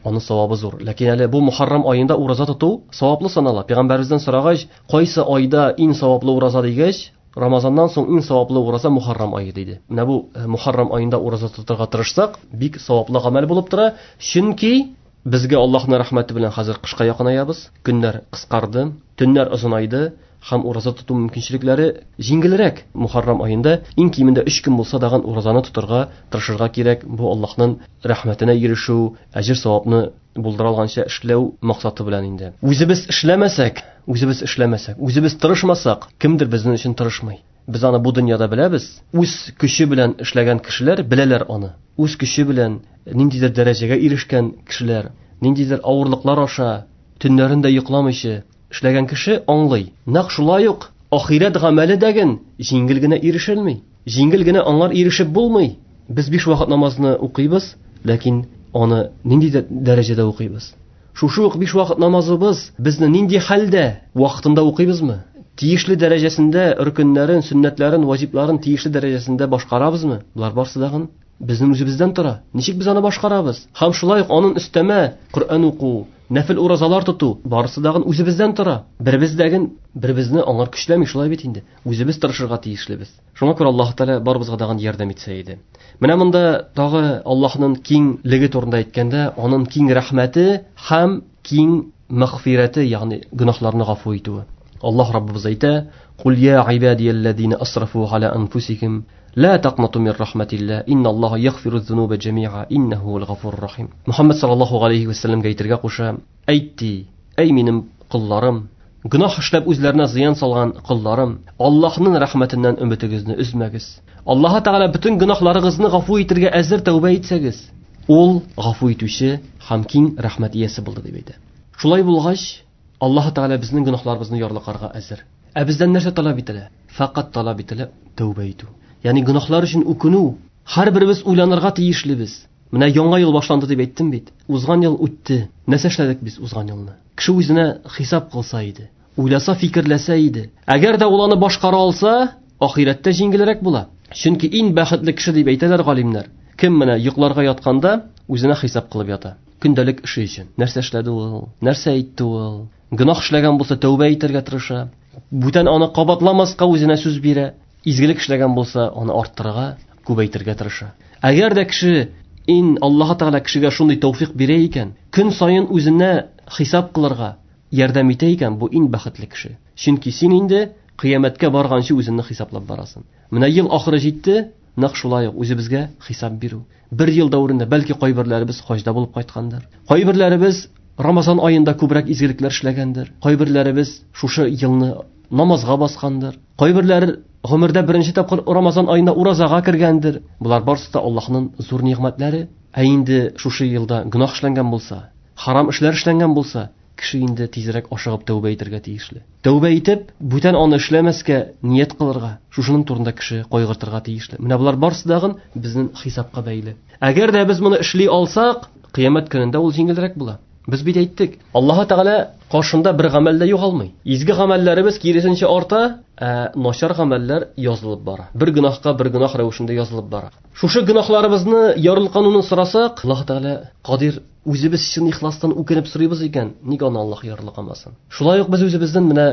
аның савабы зур. Ләкин әле бу Мухаррам аенда ураза тоту саваплы санала. Пәйгамбәребездән сорагач, кайсы айда иң саваплы ураза дигәч, Рамазаннан соң иң саваплы ураза Мухаррам ае диде. Менә бу Мухаррам аенда ураза тотарга тырышсак, бик саваплы гамәл булып тора. Чөнки безгә Аллаһның рәхмәте белән хәзер кышка якынаябыз. Көннәр кыскарды, төннәр озынайды һәм ураза тоту мөмкинчелекләре җиңелрәк. Мухаррам аенда иң кимендә 3 көн булса дагын уразаны тотарга тырышырга кирәк. Бу Аллаһның рәхмәтенә ирешү, әҗер савапны булдыра алганча эшләү максаты белән инде. Үзебез эшләмәсәк, үзебез эшләмәсәк, үзебез тырышмасак, кемдер безнең өчен тырышмый. Без аны бу дөньяда беләбез. Үз көче белән эшләгән кешеләр беләләр аны. Үз көче белән ниндидер дәрәҗәгә ирешкән кешеләр, ниндидер авырлыклар аша төннәрен дә йокламыйча эшләгән кеше аңлый. Нәкъ шулай ук ахирәт гамәле дәген җиңел генә ирешелми. Җиңел генә аңар ирешеп булмый. Без 5 вакыт намазны укыйбыз, ләкин аны нинди дәрәҗәдә укыйбыз? Шушы ук 5 вакыт намазыбыз безне нинди хәлдә вакытында укыйбызмы? Тиешле дәрәҗәсендә рөкеннәрен, сөннәтләрен, ваҗибларын тиешле дәрәҗәсендә башкарабызмы? Булар барсы дагын безнең үзебездән тора. Ничек без аны башкарабыз? Һәм шулай ук аның өстәмә Коръән уку, нәфил уразалар тоту, барысы дагын үзебездән тора. Беребездәген беребезне аңар көчләми, шулай бит инде. Үзебез тырышырга тиешлебез. Шуңа күрә Аллаһ Тәгалә барыбызга дагын ярдәм итсә иде. Менә монда тагы Аллаһның киңлеге турында әйткәндә, аның киң рәхмәте һәм киң мәгъфирәте, ягъни гөнаһларны гафу итүе. Аллаһ Раббыбыз әйтә: "Кул я ибадияллазина асрафу аля анфусихим ла тaqнату мин рахматилла инналлаһа ягъфиру зунуба джамиа иннаху хувал гафурur рахим." Мухаммад саллаллаһу алейхи ва саллямга әйтергә куша: "Әйт ди, әй минем колларым, гөнаһ эшләп үзләренә зыян салган колларым, Аллаһның рәхмәтеннән өметегезне өзмәгез. Аллаһ Тәгалә бөтен гөнаһларыгызны гафу итергә әзер, тәүбә итсәгез, ул гафу итүче һәм киң рәхмәт иясе булды", дип әйтә. Шулай булгач, Аллаһ Тәгалә безнең гөнаһларыбызны ярлыкарга әзер. Ә бездән нәрсә таләп ителә? Фақат таләп ителә тәүбә итү. Ягъни гөнаһлар өчен үкенү. Һәрберебез уйланырга тиешлебез. Менә яңа ел башланды дип әйттем бит. Узган ел үтте. Нәрсә эшләдек без узган елны? Кеше үзенә хисап кылса иде, уйласа, фикерләсә иде. Әгәр дә ул аны башкара алса, ахирәттә җиңелрәк була. Чөнки иң бәхетле кеше дип әйтәләр галимнәр. Кем менә йокларга ятканда үзенә хисап кылып ята. Көндәлек эше өчен. Нәрсә эшләде ул? Нәрсә әйтте ул? Гөнаһ эшләгән булса, тәүбә итәргә тырыша. Бүтән аны кабатламаска үзенә сүз бирә. Изгелек эшләгән булса, аны арттырырга, күбәйтергә тырыша. Әгәр дә кеше ин Аллаһ Тәгалә кешегә шундый тәүфик бирә икән, көн саен үзенә хисап кылырга ярдәм итә икән, бу иң бәхетле кеше. Чөнки син инде кыямәткә барганчы үзеңне хисаплап барасың. Менә ел ахыры җитте, нәкъ шулай ук үзебезгә хисап бирү. Бер ел дәверендә бәлки кайберләребез хаҗда булып кайткандыр. Кайберләребез Рамазан аенда күбрәк изгелекләр эшләгәндер. Кайберләребез шушы елны намазга баскандыр. Кайберләр гомердә беренче тапкыр Рамазан аенда уразага кергәндер. Булар барысы да Аллаһның зур нигъмәтләре. Ә инде шушы елда гөнаһ эшләнгән булса, харам эшләр эшләнгән булса, кеше инде тизрәк ашыгып тәүбә итәргә тиешле. Тәүбә итеп, бүтән аны эшләмәскә ният кылырга, шушының турында кеше кайгыртырга тиешле. Менә болар барысы дагын безнең хисапка бәйле. Әгәр дә без моны эшли алсак, кыямәт көнендә ул җиңелрәк була. Без бит әйттек, Аллаһ Тәгалә каршында бер гамәл дә югалмый. Изге гамәлләребез киресенчә арта, ә начар гамәлләр язылып бара. Бер гөнаһка бер гөнаһ рәвешендә язылып бара. Шушы гөнаһларыбызны ярылкануны сорасак, Аллаһ Тәгалә кадир, үзебез чын ихластан үкенеп сорыйбыз икән, ник аны Аллаһ ярлыкамасын? Шулай ук без үзебезнең менә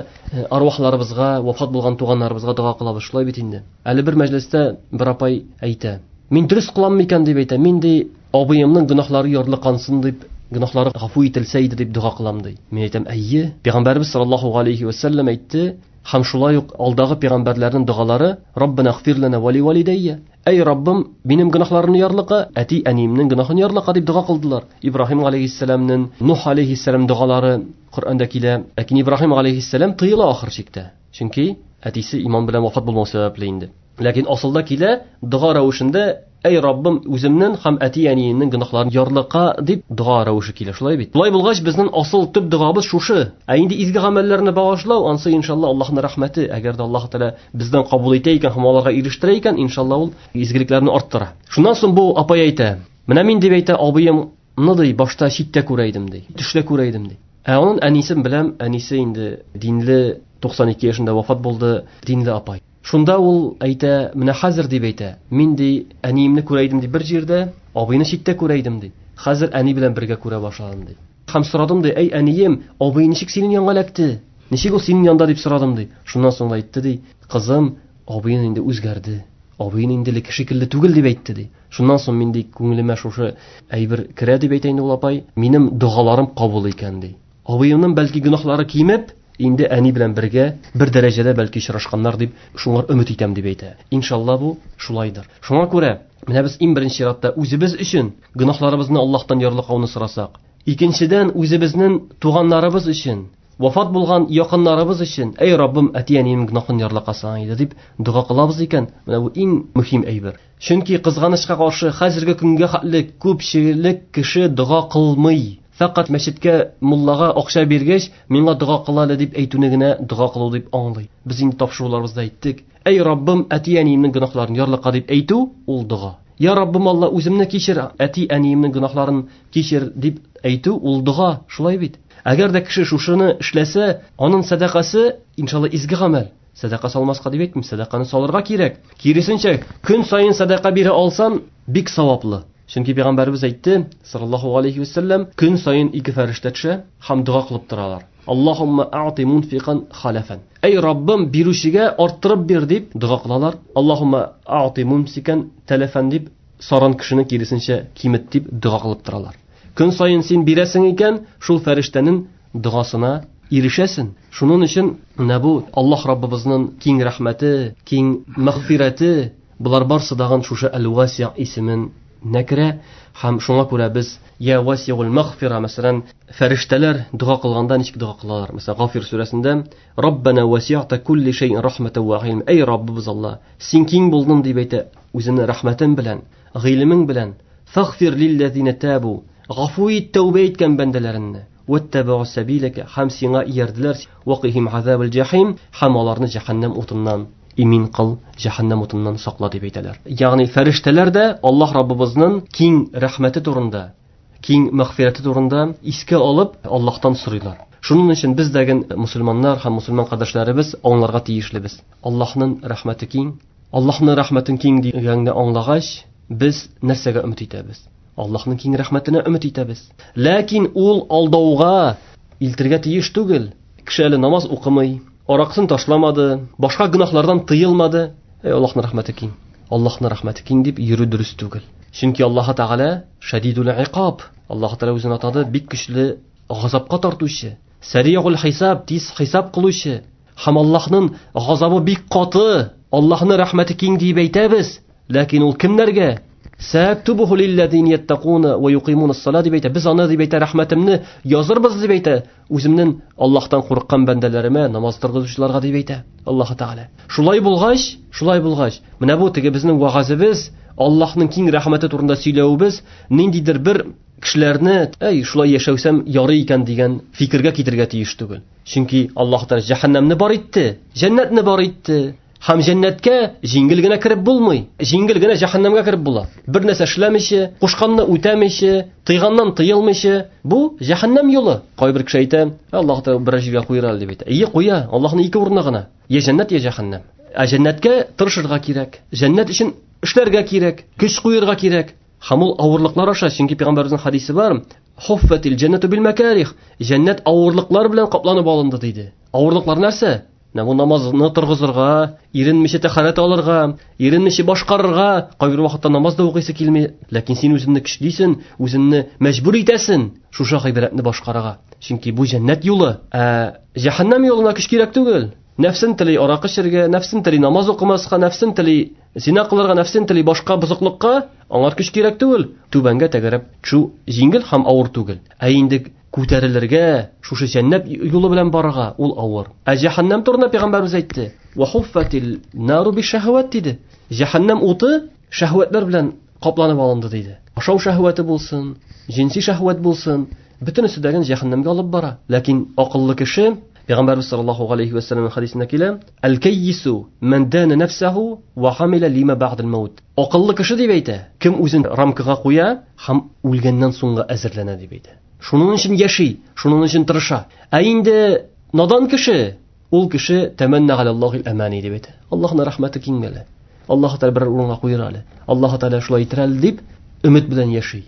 арвахларыбызга, вафат булган туганнарыбызга дога кылабыз, шулай бит инде. Әле бер мәҗлестә бер апай әйтә: "Мин дөрес кылам микән?" дип әйтә. "Мин ди, абыемның гөнаһлары ярлыкансын дип, гөнаһлары гафу ителсә иде дип дога кылам" ди. Мин әйтәм: "Әйе, Пәйгамбәрбез саллаллаһу алейхи ва саллям әйтте, һәм шулай ук алдагы пәйгамбәрләрнең догалары: Раббана гфир лана ва ли валидайя. Әй Раббым, минем гөнаһларымны ярлыка, әти-әниемнең гөнаһын ярлыка" дип дога кылдылар. Ибраһим алейхиссәламнең, Нух алейхиссәлам догалары Коръәндә килә. Ләкин Ибраһим алейхиссәлам тыела ахыр чиктә. Чөнки әтисе иман белән вафат булмау сәбәпле инде. Ләкин асылда килә дога рәвешендә: Әй Раббым, үземнең һәм әти-әниемнең гөнаһларын ярлыка дип дога рәвеше килә, шулай бит. Шулай булгач, безнең асыл төп догабыз шушы. Ә инде изге гамәлләрне багышлау, ансы иншалла Аллаһның рәхмәте. Әгәр дә Аллаһ Тәгалә бездән кабул итә икән һәм аларга ирештерә икән, иншалла ул изгелекләрне арттыра. Шуннан соң бу апай әйтә: "Менә мин дип әйтә, абыемны ди, башта читтә күрә идем ди, төштә күрә идем ди. Ә аның әнисен беләм, әнисе инде динле, 92 яшендә вафат булды, динле апай. Шунда ул әйтә, менә хәзер дип әйтә, мин ди, әниемне күрә идем ди бер җирдә, абыйны читтә күрә идем ди. Хәзер әни белән бергә күрә башладым ди. Һәм сорадым ди, әй әнием, абый ничек синең янга эләкте? Ничек ул синең янда дип сорадым ди. Шуннан соң әйтте ди, кызым, абыең инде үзгәрде. Абыең инде элекке шикелле түгел дип әйтте ди. Шуннан соң мин ди, күңелемә шушы әйбер керә дип әйтә инде ул апай, минем догаларым кабул икән ди. Абыемның бәлки гөнаһлары кимеп, инде әни белән бергә бер дәрәҗәдә бәлки очрашканнар дип шуңар өмет итәм дип әйтә. Иншалла бу шулайдыр. Шуңа күрә менә без иң беренче чиратта үзебез өчен гөнаһларыбызны Аллаһтан ярлыкауны сорасак, икенчедән үзебезнең туганнарыбыз өчен, Вафат булган якыннарыбыз өчен, әй Раббым, әти-әниемнең гөнаһын ярлыкасаң иде дип дога кылабыз икән, менә бу иң мөһим әйбер. Чөнки кызганычка каршы хәзерге көнгә хәтле күпчелек кеше дога кылмый. Фәкать мәчеткә муллага акча биргәч, миңа дога кыл әле дип әйтүне генә дога кылу дип аңлый. Без инде тапшыруларыбызда әйттек. Әй Раббым, әти-әниемнең гөнаһларын ярлыка дип әйтү ул дога. Я Раббым Алла, үземне кичер, әти-әниемнең гөнаһларын кичер дип әйтү ул дога, шулай бит? Әгәр дә кеше шушыны эшләсә, аның сәдакасы, иншалла, изге гамәл. Сәдака салмаска дип әйтмим, сәдаканы салырга кирәк. Киресенчә, көн саен сәдака бирә алсан, бик саваплы. Чөнки пәйгамбәребез әйтте, саллаллаһу алейхи ва саллям, көн саен ике фәрештә төшә һәм дога кылып торалар. Аллаһумма а'ти мунфикан халафан. Әй Раббым, бирүчегә арттырып бир дип дога кылалар. Аллаһумма а'ти мумсикан талафан дип саран кешене киресенчә кимет дип дога кылып торалар. Көн саен син бирәсең икән, шул фәрештәнең догасына ирешәсең. Шуның өчен менә бу Аллаһ Раббыбызның киң рәхмәте, киң мәгъфирәте, булар барсы дагын шушы Әл-Васи' исемен нәкерә һәм шуңа күрә без Я Васиул Мәгъфира, мәсәлән, фәрештәләр дога кылганда ничек дога кылалар? Мәсәлән, Гафир сүрәсендә Раббана васи'та кулли шәй'ин рахматан ва гыйлм. Әй Раббыбыз Алла, син киң булдың дип әйтә үзеңнең рәхмәтең белән, гыйлемең белән. Фагфир лилләзина табу. Гафу ит тәүбә иткән бәндәләреңне. Ваттабау сабилака һәм сиңа иярделәр. Вакихим азабал җахим һәм аларны җәһәннәм утыннан имин кыл, җәһәннәм утыннан сакла дип әйтәләр. Ягъни фәрештәләр дә Аллаһ Раббыбызның киң рәхмәте турында, киң мәгъфирәте турында искә алып Аллаһтан сорыйлар. Шуның өчен без дәген мусульманнар һәм мусульман кардәшләребез аңларга тиешлебез. Аллаһның рәхмәте киң. Аллаһның рәхмәтен киң дигәнне аңлагач, без нәрсәгә өмет итәбез? Аллаһның киң рәхмәтенә өмет итәбез. Ләкин ул алдауга илтергә тиеш түгел. Кеше әле намаз укымый, аракысын ташламады, башка гөнаһлардан тыелмады. Әй, Аллаһның рәхмәте киң. Аллаһның рәхмәте киң дип йөрү дөрес түгел. Чөнки Аллаһ Тәгалә шәдидул икаб. Аллаһ Тәгалә үзен атады бик көчле газапка тартучы, сәригул хисаб, тиз хисап кылучы. Һәм Аллаһның газабы бик каты. Аллаһның рәхмәте киң дип әйтәбез. Ләкин ул кемнәргә? Сәктубуху лилләзина яттакуна ва юкимуна ас-сала дип әйтә. Без аны дип әйтә, рәхмәтемне язырбыз дип әйтә. Үземнең Аллаһтан курыккан бәндәләремә, намаз торгызучыларга дип әйтә Аллаһ Тәгалә. Шулай булгач, менә бу теге безнең вагазыбыз, Аллаһның киң рәхмәте турында сөйләвебез ниндидер бер кешеләрне, әй, шулай яшәүсәм ярый икән дигән фикергә китерергә тиеш түгел. Чөнки Аллаһ Тәгалә җәһәннәмне бар итте, җәннәтне бар итте. Һәм җәннәткә җиңел генә кереп булмый. Җиңел генә җәһәннәмгә кереп була. Бер нәрсә эшләмичә, кушканны үтәмичә, тыйганнан тыелмыйча, бу җәһәннәм юлы. Кайбер кеше әйтә, Аллаһ Тәгалә бер җиргә куер әле дип әйтә. Ие, куя, Аллаһның ике урыны гына. Я җәннәт, я җәһәннәм. Ә җәннәткә тырышырга кирәк. Җәннәт өчен эшләргә кирәк, көч куерга кирәк. Һәм ул авырлыклар аша, чөнки пәйгамбәребезнең хадисе бар, Хуффатил җәннәту бил мәкарих. Җәннәт авырлыклар белән капланып алынды диде. Авырлыклар нәрсә? Менә бу намазны торгызырга, иренмичә тәһарәт алырга, иренмичә башкарырга, кайбер вакытта намаз да укыйсы килми, ләкин син үзеңне көчлисең, үзеңне мәҗбүр итәсең шушы гыйбадәтне башкарырга. Чөнки бу җәннәт юлы, ә җәһәннәм юлына көч кирәк түгел. Нәфсен тели аракы эчәргә, нәфсен тели намаз укымаска, нәфсен тели зина кылырга, нәфсен тели башка бозыклыкка, аңар көч кирәк түгел. Түбәнгә тәгәрәп төшү җиңел һәм авыр түгел. Ә инде күтәрелергә, шушы җәннәт юлы белән барырга ул авыр. Ә җәһәннәм турында пәйгамбәребез әйтте: "Ва хуффатил нару бишшаһават" диде. Җәһәннәм уты шәһвәтләр белән капланып алынды диде. Ашау шәһвәте булсын, җинси шәһвәт булсын, бөтенесе дә җәһәннәмгә алып бара. Ләкин акыллы кеше, Пәйгамбәрбез саллаллаһу алейхи ва саллям хадисендә килә: "Әл-каййису ман дана нафсаху ва хамила лима бa'дал маут". Акыллы кеше дип әйтә, кем үзен рамкага куя һәм үлгәннән соңга әзерләнә дип әйтә. Шуның өчен яши, шуның өчен тырыша. Ә инде надан кеше, ул кеше тәмәнна галаллаһил амани дип әйтә. Аллаһның рәхмәте киң әле. Аллаһ Тәгалә бер урынга куер әле. Аллаһ Тәгалә шулай итер әле дип өмет белән яши.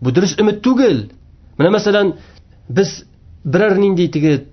Бу дөрес өмет түгел. Менә мәсәлән, без берәр нинди теге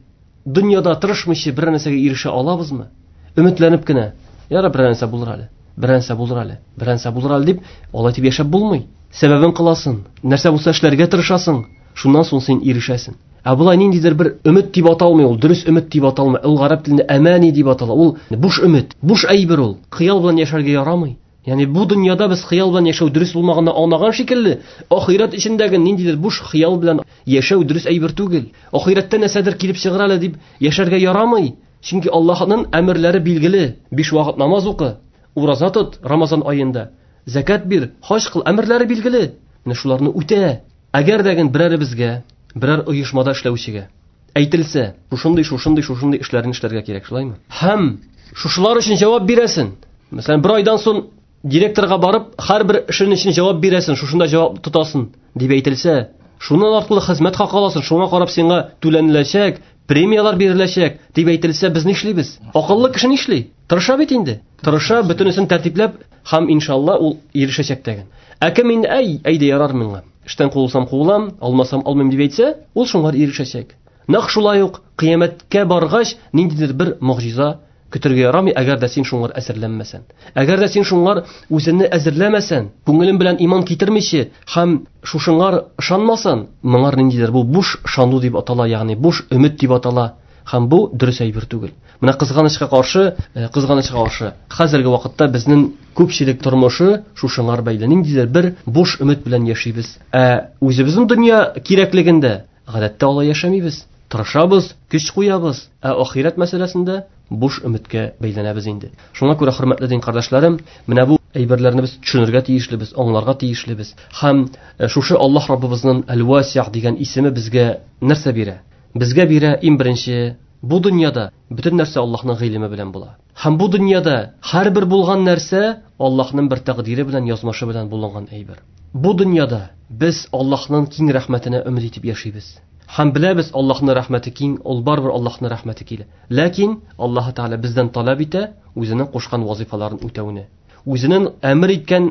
дөньяда тырышмыйча берәр нәрсәгә ирешә алабызмы? Өметләнеп кенә, яра берәр нәрсә булыр әле, берәр нәрсә булыр әле, берәр нәрсә булыр әле дип, алай дип яшәп булмый. Сәбәбен кыласың, нәрсә булса эшләргә тырышасың, шуннан соң син ирешәсең. Ә болай ниндидер бер өмет дип аталмый ул, дөрес өмет дип аталмый. Ул гарәп телендә әмани дип атала. Ул буш өмет, буш әйбер ул. Хыял белән яшәргә ярамый. Ягъни бу дөньяда без хыял белән яшәү дөрес булмаганны аңлаган шикелле, ахирәт эчендәге ниндидер буш хыял белән яшәү дөрес әйбер түгел. Ахирәттә нәрсәдер килеп чыгар әле дип яшәргә ярамый. Чөнки Аллаһның әмерләре билгеле. 5 вакыт намаз укы, ураза тот Рамазан аенда, закат бир, хаҗ кыл, әмерләре билгеле. Менә шуларны үтә. Әгәр дә берәребезгә, берәр оешмада эшләүчегә әйтелсә, шушындый, шушындый, шушындый эшләрне эшләргә кирәк, шулаймы? Һәм шушылар өчен җавап бирәсен. Мәсәлән, бер айдан соң директорга барып, һәрбер эшен өчен җавап бирәсен, шушында җавап тотасың дип әйтелсә, шуннан артлы хезмәт хакы аласың, шуңа карап сиңа түләнеләчәк, премияләр биреләчәк дип әйтелсә, без нишлибез? Акыллы кеше нишли? Тырыша бит инде. Тырыша, бөтенесен тәртипләп һәм иншалла ул ирешәчәк дигән. Ә кем инде, әй, әйдә ярар миңа. Эштән куылсам куылам, алмасам алмыйм дип әйтсә, ул шуңа ирешәчәк. Нәкъ шулай ук кыямәткә баргач ниндидер бер могҗиза көтергә ярамый, әгәр дә син шуңар әзерләнмәсән. Әгәр дә син шуңар үзеңне әзерләмәсән, күңелең белән иман китермичә һәм шушыңар ышанмасаң, моңар ниндидер бу буш ышану дип атала, ягъни буш өмет дип атала. Һәм бу дөрес әйбер түгел. Менә кызганычка каршы, хәзерге вакытта безнең күпчелек тормышы шушыңар бәйле. Ниндидер бер буш өмет белән яшибез. Ә үзебезнең дөнья кирәклегендә гадәттә алай яшәмибез. Тырышабыз, көч куябыз. Ә ахирәт мәсьәләсендә буш өметкә бәйләнәбез инде. Шуңа күрә, хөрмәтле дин кардәшләрем, менә бу әйберләрне без төшенергә тиешлебез, аңларга тиешлебез. Һәм шушы Аллаһ Раббыбызның Әл-Васиъ дигән исеме безгә нәрсә бирә? Безгә бирә иң беренче, бу дөньяда бөтен нәрсә Аллаһның гыйлеме белән була. Һәм бу дөньяда һәрбер булган нәрсә Аллаһның бер тәкъдире белән, язмышы белән булынган әйбер. Бу дөньяда без Аллаһның киң рәхмәтенә өмет итеп яшибез. Һәм беләбез, Аллаһның рәхмәте киң, ул барыбер Аллаһның рәхмәте килә. Ләкин Аллаһ Тәгалә бездән таләп итә үзенең кушкан вазифаларын үтәүне. Үзенең әмер иткән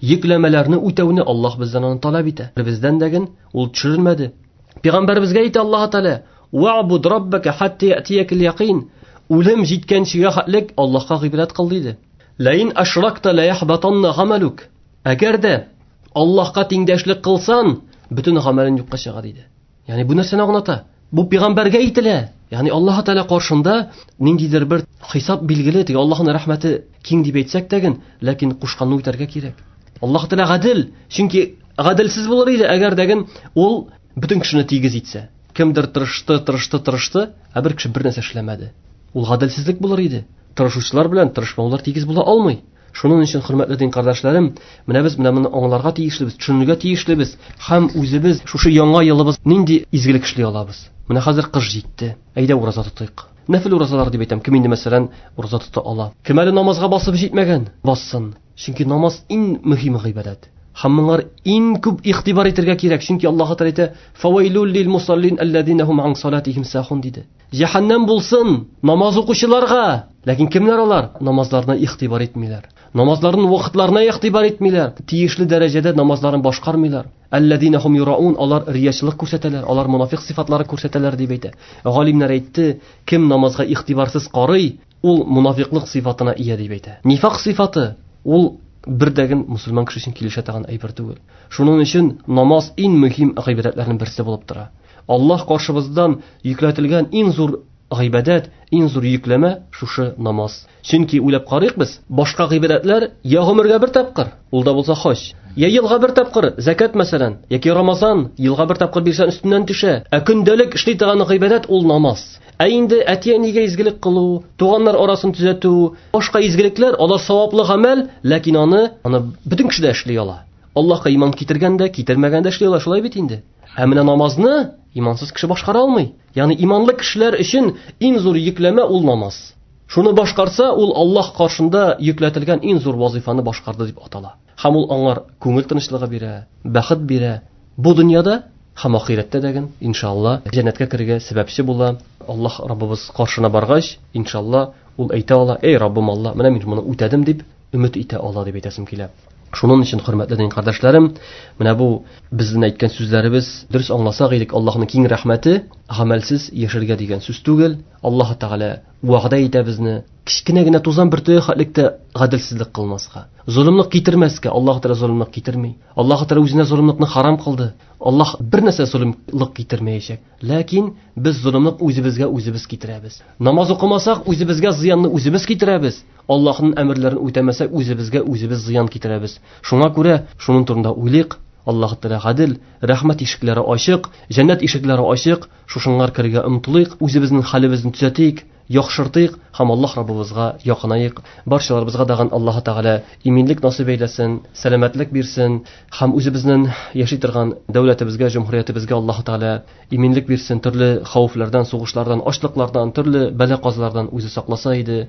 йөкләмәләрне үтәүне Аллаһ бездән аны таләп итә. Бездән дәген ул төшерелмәде. Пәйгамбәребезгә әйтә Аллаһ Тәгалә: "Ва'буд раббака хатта я'тиякал яқин." Үлем җиткәнчегә хәтлек Аллаһка гыйбадәт кыл диде. Ләин ашракта ла яхбатанна гамалук. Әгәр дә Аллаһка тиңдәшлек кылсан, бөтен гамәлең юкка чыга диде. Ягъни бу нәрсәне аңлата? Бу пәйгамбәргә әйтелә. Ягъни Аллаһ Тәгалә каршында ниндидер бер хисап билгеле, теге Аллаһның рәхмәте киң дип әйтсәк тә, ләкин кушканны үтәргә кирәк. Аллаһ Тәгалә гадел, чөнки гаделсез булыр иде, әгәр дәген ул бөтен кешене тигез итсә. Кемдер тырышты, тырышты, тырышты, ә бер кеше бер нәрсә эшләмәде. Ул гаделсезлек булыр иде. Тырышучылар белән тырышмаулар тигез була алмый. Шуның өчен, хөрмәтле дин кардәшләрем, менә без менә моны аңларга тиешлебез, төшенергә тиешлебез һәм үзебез шушы яңа елыбыз нинди изгелек эшли алабыз. Менә хәзер кыш җитте. Әйдә ураза тотыйк. Нәфил уразалар дип әйтәм. Кем инде мәсәлән ураза тота ала? Кем әле намазга басып җитмәгән, бассын. Чөнки намаз иң мөһим гыйбадәт. Һәм моңар иң күп игътибар итәргә кирәк. Чөнки Аллаһ Тәгалә әйтә: "Фавайлул лил мусаллин аллазина хум ан салатихим сахун" диде. Җәһәннәм булсын намаз укучыларга. Ләкин кемнәр алар? Намазларына игътибар итмиләр. Намазларының вакытларына игътибар итмиләр. Тиешле дәрәҗәдә намазларын башкармыйлар. Аллазина хум юраун, алар риячылык күрсәтәләр, алар монафиқ сыйфатлары күрсәтәләр дип әйтә. Галимнәр әйтте, кем намазга игътибарсыз карый, ул монафиклык сыйфатына ия дип әйтә. Нифак сыйфаты ул бердәген мусульман кеше өчен килешә торган әйбер түгел. Шуның өчен намаз иң мөһим гыйбадәтләрнең берсе булып тора. Аллаһ каршыбыздан йөкләтелгән иң зур гыйбадәт, иң зур йөкләмә шушы намаз. Чөнки уйлап карыйк без, башка гыйбадәтләр я гомергә бер тапкыр, ул да булса хаҗ, я елга бер тапкыр, закат мәсәлән, яки Рамазан, елга бер тапкыр бирсән өстеннән төшә. Ә көндәлек эшли торган гыйбадәт ул намаз. Ә инде әти-әнигә изгелек кылу, туганнар арасын төзәтү, башка изгелекләр, алар саваплы гамәл, ләкин аны бөтен кеше дә эшли ала. Аллаһка иман китергән дә, китермәгән дә эшли ала, шулай бит инде. Ә менә намазны имансыз кеше башкара алмый. Ягъни иманлы кешеләр өчен иң зур йөкләмә ул намаз. Шуны башкарса, ул Аллаһ каршында йөкләтелгән иң зур вазифаны башкарды дип атала. Һәм ул аңар күңел тынычлыгы бирә, бәхет бирә. Бу дөньяда һәм ахирәттә дә, иншалла, җәннәткә керергә сәбәпче була. Аллаһ Раббыбыз каршына баргач, иншалла, ул әйтә ала: "Эй Раббым Аллаһ, менә мин моны үтәдем" дип өмет итә ала дип әйтәсем килә. Шуның өчен, хөрмәтле дин кардәшләрем, менә бу безнең әйткән сүзләребез дөрес аңласак идек, Аллаһның киң рәхмәте гамәлсез яшәргә дигән сүз түгел. Аллаһ Тәгалә вәгъдә итә безне кечкенә генә тузан бөртеге хәтлектә гаделсезлек кылмаска, золымлык китермәскә. Аллаһ Тәгалә золымлык китерми. Аллаһ Тәгалә үзенә золымлыкны харам кылды. Аллаһ бер нәрсә золымлык китермәячәк. Ләкин без золымлык үзебезгә үзебез китерәбез. Намаз укымасак, үзебезгә зыянны үзебез китерәбез. Аллаһның әмерләрен үтәмәсәк, үзебезгә үзебез зыян китерәбез. Шуңа күрә шуның турында уйлыйк. Аллаһ Тәгалә гадел, рәхмәт ишекләре ачык, җәннәт ишекләре ачык. Шушыңар керергә омтылыйк, үзебезнең хәлебезне төзәтик, яхшыртыйк һәм Аллаһ Раббыбызга якынаек. Барчаларыбызга дагын Аллаһ Тәгалә иминлек насыйп әйләсен, сәламәтлек бирсен һәм үзебезнең яши торган дәүләтебезгә, җөмһүриятебезгә Аллаһ Тәгалә иминлек бирсен, төрле хәвефләрдән, сугышлардан, ачлыклардан, төрле бәла-казалардан үзе сакласа иде.